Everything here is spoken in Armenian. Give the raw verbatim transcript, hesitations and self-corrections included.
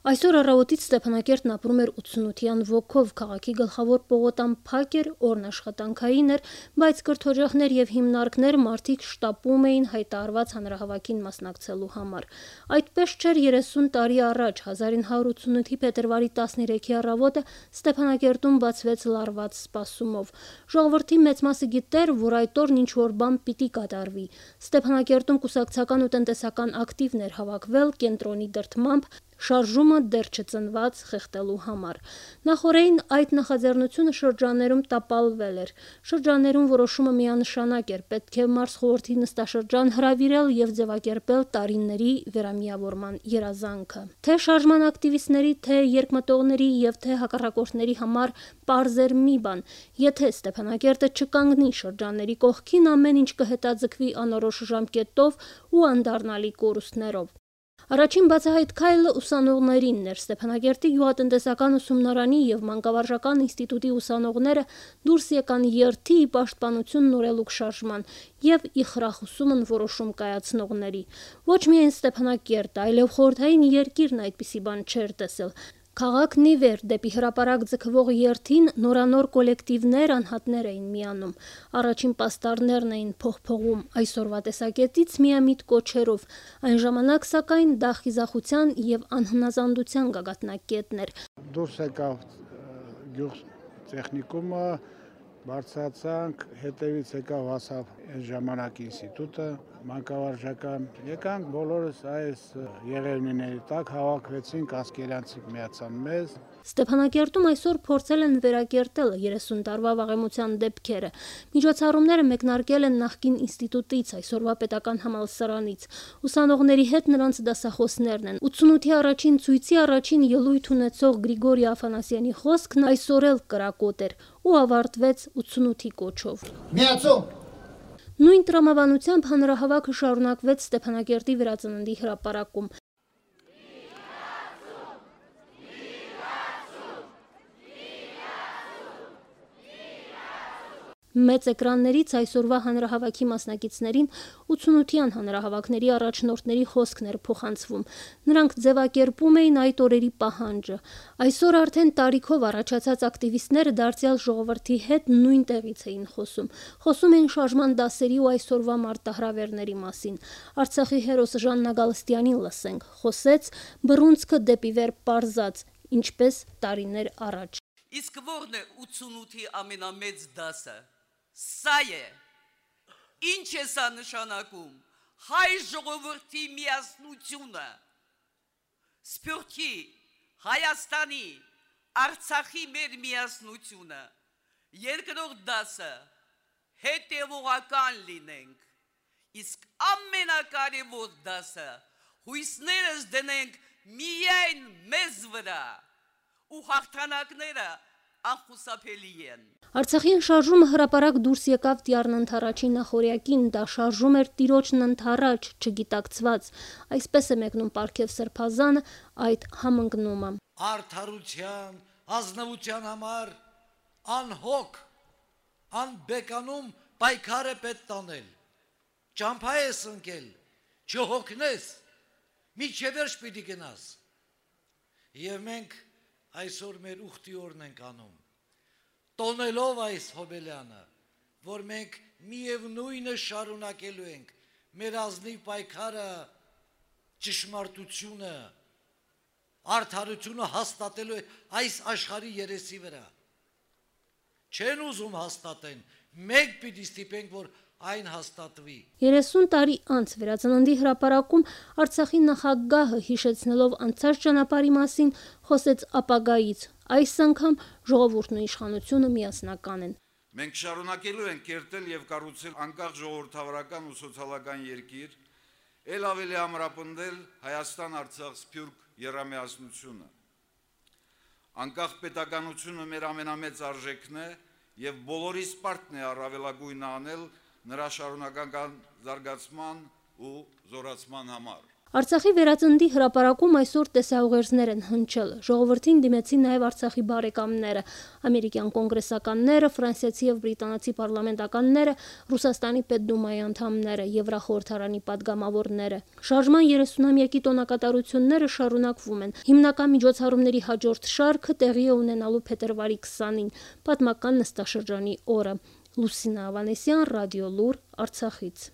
Այսօր առավոտից Ստեփանակերտն ապրում էր ութսունության ոգով, քաղաքի գլխավոր պողոտան փակ էր, օրն աշխատանքային էր, բայց կրթօջախներ եւ հիմնարկներ մարդիկ շտապում էին հայտարարված հանրահավաքին մասնակցելու համար։ Այդպես չէր երեսուն տարի առաջ, հազար ինը հարյուր ութսունութի փետրվարի տասներեքի առավոտը Ստեփանակերտում բացվեց լարված սպասումով։ Ժողովրդի մեծ մասը գիտեր, որ այդ օրն ինչ-որ բան պիտի կատարվի։ Ստեփանակերտում կուսակցական ու տնտեսական ակտիվներ հավաքվել կենտրոնի դրդմամբ շարժումը դեռ չծնված խեղդելու համար։ Նախօրեին այդ նախաձեռնությունը շրջաններում տապալվել էր։ Շրջաններում որոշումը միանշանակ էր, պետք է մարզխորհրդի նստաշրջան հրավիրել եւ ձևակերպել տարիների վերամիավորման երազանքը։ Թե շարժման ակտիվիստների, թե երկմտողների եւ թե հակառակորդների համար պարզ էր մի բան. եթե Ստեփանակերտը չկանգնի շրջանների կողքին, ամեն ինչ կհետաձգվի անորոշ ժամկետով ու անդառնալի կորուստներով։ Առաջին բացահայտ քայլը ուսանողներինն էր։ Ստեփանակերտի գյուղատնտեսական ուսումնարանի եւ մանկավարժական ինստիտուտի ուսանողները դուրս եկան երթի ի պաշտպանություն նորելուկ շարժման եւ ի խրախուսումն որոշում կայացնողների։ Ոչ միայն Ստեփանակերտը, այլև խորհրդային երկիրն այդպիսի բան չէր տեսել։ Քաղաքն ի վեր դեպի հրապարակ ձգվող երթին նորանոր կոլեկտիվներ, անհատներ էին միանում։ Առաջին պաստառներն էին փողփողում այսօրվա տեսակետից միամիտ կոչերով։ Այն ժամանակ, սակայն, դա խիզախության եւ անհնազանդության գագաթնակետն էր։ Դուրս եկավ գյուղ տեխնիկումը, բարձրացանք, հետևից եկավ հասավ այն ժամանակ ինստիտուտը, մանկավարժական, եկանք բոլորս այս եղերնիների տակ հավաքվեցինք, ասկերյանցիք միացան մեզ։ Ստեփանակերտում այսօր փորձել են վերակերտել երեսուն տարվա վաղեմության դեպքերը։ Միջոցառումները մեկնարկել են նախկին ինստիտուտից, այսօրվա պետական համալսարանից։ Ուսանողների հետ նրանց դասախոսներն են։ ութսունութի առաջին ցույցի առաջին ելույթ ունեցող Գրիգորի Աֆանասյանի խոսքն այսօր էլ կրակոտ էր ու ավարտվեց ութսունութի կոչով։ Միացում։ Նույն տրամաբանությամբ հանրահավաքը շարունակվեց Ստեփանակերտի վերածննդի հրապարակում։ Մեծ էկրաններից այսօրվա հանրահավաքի մասնակիցներին ութսունության հանրահավաքների առաջնորդների խոսքն էր փոխանցվում։ Նրանք ձևակերպում էին այդ օրերի պահանջը։ Այսօր արդեն տարիքով առաջացած ակտիվիստները դարձյալ ժողովրդի հետ նույն տեղից էին խոսում։ Խոսում էին շարժման դասերի ու այսօրվա մարտահրավերների մասին։ Արցախի հերոս Ժաննա Գալստյանին լսենք։ Խոսեց բռունցքը դեպի վեր պարզած, ինչպես տարիներ առաջ։ Իսկ ո՞րն է ութսունութի ամենամեծ դասը։ Սա է, ինչ է սա նշանակում, հայ ժողովրդի միասնությունը, Սփյուռքի, Հայաստանի, Արցախի մեր միասնությունը, երկրորդ դասը, հետևողական լինենք, իսկ ամենակարևոր դասը, հույսներս դնենք միայն մեզ վրա ու հաղթանակները անխուսափելի են։ Արցախյան շարժումը հրապարակ դուրս եկավ Տիառն ընդառաջի նախօրյակին, դա շարժում էր տիրոջն ընդառաջ, չգիտակցված, այսպես է մեկնում Պարքև Սրբազանը այդ համընկնումը։ Արդարության, ազնվության համար անհոգ, անբեկանում պայքար է պետք տանել, ճամփա ես ընկել, չհոգնես, միջև վերջ պիտի գնաս։ Եվ մենք այսօր մեր ուխտի օրն ենք անում, տոնելով այս հոբելյանը, որ մենք միևնույնը շարունակելու ենք, մեր ազնիվ պայքարը, ճշմարտությունը, արդարությունը հաստատելու այս աշխարհի երեսի վրա։ Չեն ուզում հաստատեն, մեկ պիտի ստիպենք, որ այն հաստատվի։ երեսուն տարի անց վերածննդի հրապարակում Արցախի նախագահը հիշեցնելով անցած ճանապարհի մասին խոսեց ապագայից։ Այս անգամ ժողովուրդն ու իշխանությունը միասնական են։ Մենք շարունակելու ենք կերտել եւ կառուցել անկախ ժողովրդավարական ու սոցիալական երկիր, ել ավելի ամրապնդել Հայաստան-Արցախ-Սփյուռք եռամիասնությունը։ Անկախ պետականությունը մեր ամենամեծ արժեքն է եւ բոլորիս պարտքն է առավելագույնը անել նրա շարունակական զարգացման ու զորացման համար։ Արցախի վերածնդի հրապարակում այսօր տեսաուղերձներ են հնչել։ Ժողովրդին դիմեցին նաև Արցախի բարեկամները, ամերիկյան կոնգրեսականները, ֆրանսիացի եւ բրիտանացի պարլամենտականները, Ռուսաստանի Պետդումայի անդամները, Եվրախորհրդարանի падգամավորները։ Շարժման երեսունամյակի տոնակատարությունները շարունակվում են։ Հիմնական միջոցառումների հաջորդ շարքը տեղի է ունենալու փետրվարի քսանին, պատմական նստաշրջանի օրը։ Լուսինա Ավանեսյան, Ռադիո Լուր, Արցախից։